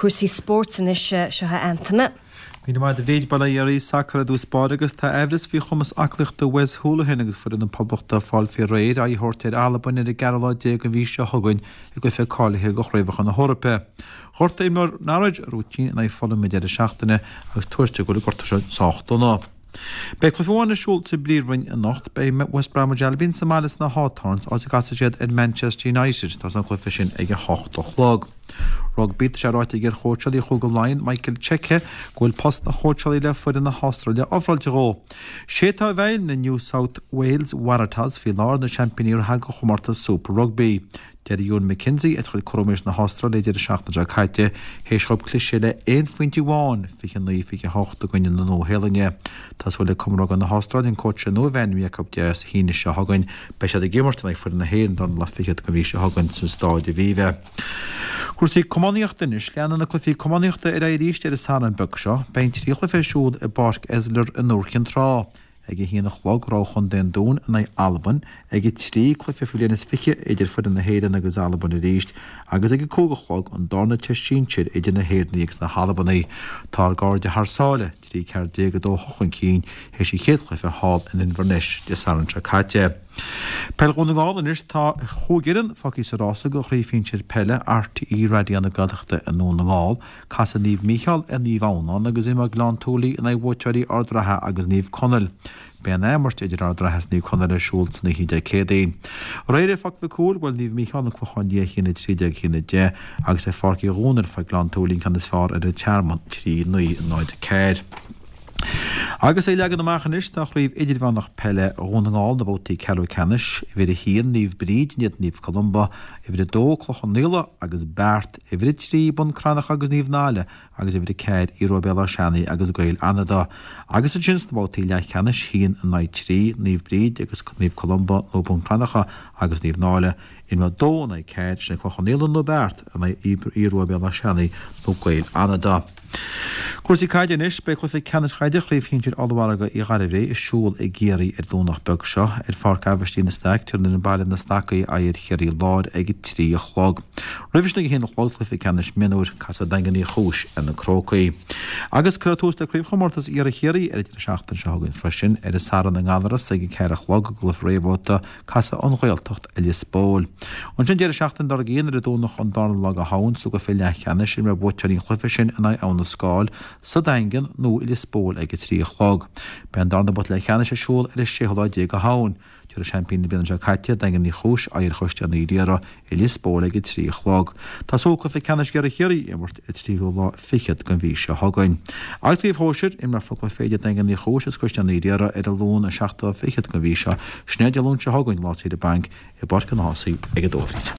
Cúrsaí spóirt anois, seo é Antaine. Míle maith agat a Bhríd, bail ó Dhia oraibh, sacar i dtús báire agus tá aimhreas faoi chumas aclaíochta Wes Hoolahan agus foireann na Poblachta ag fáil faoi réir aghaidh a thabhairt ar Albain ar an gceathrú lá déag den mhí seo chugainn i gcluiche cáilithe do Chraobhacha na hEorpa. Ghortaigh imreoir Norwich a rúitín in aghaidh Fulham an deireadh seachtaine agus tuairtear go bhfuil an gortú seo sách dona. Beidh cluiche amháin ar siúl sa bPríomhroinn anocht. Beidh West Bromwich Albion sa mbaile sna Hawthorns, áit a gcasfaidh siad ar Manchester United. Tosóidh an cluiche sin ag 8 a chlog. Rugbaí, Tá sé ráite ag iar-chóitseálaí Chúige Laighean, Michael Cheika, go bhfuil post an chóitseálaí le foireann na hAstráile ofráilte dhó. Sé atá i bhfeighil na New South Wales Waratahs faoi láthair, na seaimpíní reatha de chomórtas Super Rugby. Deir Ewen McKenzie, as a chuid cúraimí leis na hAstrálaigh an deireadh seachtaine seo caite, théis dhóibh cliseadh le aon phointe amháin, 29, 28 i gcoinne na Nua-Shéalainne. Tá súil ag Cumann Rugbaí na hAstráile an cóitse nua a bheith ainmnithe acu Dé hAoine seo chugainn. Beidh siad ag imirt in aghaidh foireann na hÉireann dara lá fichead den mhí seo chugainn sa Stáid Aviva. Cúrsaí camógaíochta anois. Leanfaidh na cluichí camógaíochta ar aghaidh arís ar an Satharn beag seo. Beidh an tríú cluiche ar siúl i bPáirc Esler i nDúiche Chinn Trá. Ag a haon a chlog, rogha chontae an Dúin in aghaidh Albain, ag a 3, cluiche faoi bhliain is 20 idir foireann na hÉireann agus Albain arís, agus ag a 5 a chlog, an darna teist sinsir idir na hÉireannaigh agus na hAlbanaigh. Tá ár gcairde thar sáile, 13 14 2 8 chun cinn théis an chéad chluiche thall in Inverness Dé Sathairn seo caite. Peil Dhún na nGall anois, tá chúig fhoireann fágtha sa rása do Chraobh Shinsir Peile RTÉ Raidió na Gaeltachta i nDún na nGall. Casfaidh Naomh Mícheál ar Naomh Adhamhnáin agus imreoidh Gleann tSúilí in aghaidh bhuaiteoirí Ard Ratha agus Naomh Conaill. Beidh an athimirt idir Ard Ratha is Naomh Conaill ar siúl san oíche Dé Céadaoin. Aréir ar Pháirc Mhic Cumhaill, bhuail Naomh Mícheál an Clochán Liath 1, 13, 1, 10 agus ar Pháirc Uí Dhomhnaill fuair Gleann tSúilí an ceann is fearr ar an Tearmann, 3, 9, 0, 4. Agus é leagan amach anois do Chraobh Idirmheánach Peile Dhún na nGall na babhtaí ceathrú ceannais, uimhir 1, Naomh Bríd in éadan Naomh Columba, uimhir 2, Cloich Cheann Fhaola agus Beart, Uimhir 3, Bun Cranncha agus Naomh Náille agus uimhir 4, Aodh Rua Béal Átha Seanaidh agus Gaeil Fhanada. Agus ansin sna babhtaí leathcheannais, 1 in aghaidh 3, Naomh Bríd agus Naomh Columba nó Bun Cranncha agus Naomh Náille, imreoidh 2 in aghaidh 4, sin Cloich Cheann Fhaola nó Beart in aghaidh Aodh Rua Béal Átha Seanaidh nó Gaeil Fhanada. Cúrsaí caide anois, beidh cluiche ceannais caide Chraobh Shinsir Ollmhargadh Uí Ghairbhréidh ar siúl i gCiarraí ar Domhnach beag seo. Ar Pháirc Aibhistín de Staic, tabharfaidh an Baile na Stacaí aghaidh ar Chiarraí Láir ag a 3 a chlog. Roimhe sin ag a 1 a chlog, cluiche ceannais mionúir, casfaidh Daingean Uí Chúis ar na Crócaigh. Agus cuirfear tús le Craobhchomórtas Iarthar Chiarraí ar an deireadh seachtaine seo chugainn freisin, ar an Satharn i nGallaras ag a 4 a chlog i gcluiche réamhbhabhta Casfaidh an Ghaeltacht ar Lios Póil. Ansin deireadh seachtaine dár gcionn ar an Domhnach an darna lá de Shamhain sa gcluiche leathcheannais imreoidh buaiteoirí an chluiche sin in aghaidh Abha na Scáil sa Daingean nó i Lios Póil ag 3 a chlog. Beidh an darna babhta leathcheannais ar siúl ar an séú lá déag de Shamhain. Tabharfaidh seaimpíní na bliana seo caite, Daingean Uí Chúis, aghaidh ar Chaisleán Uí Riada i Lios Póil ag 3 a chlog. Tá súil cluiche ceannais Iarthar Chiarraí a imirt ar 3ú lá fichead den mhí seo chugainn. Agus sa gcraobh shóisir, imreofar cluiche idir Daingean Uí Chúis agus Caisleán Uí Riada ar an Luan an 7ú lá fichead den mhí seo. Sin é Dé Luain seo chugainn, lá saoire bainc, i bPáirc an Ághasaigh ag a 2 a Bhríd.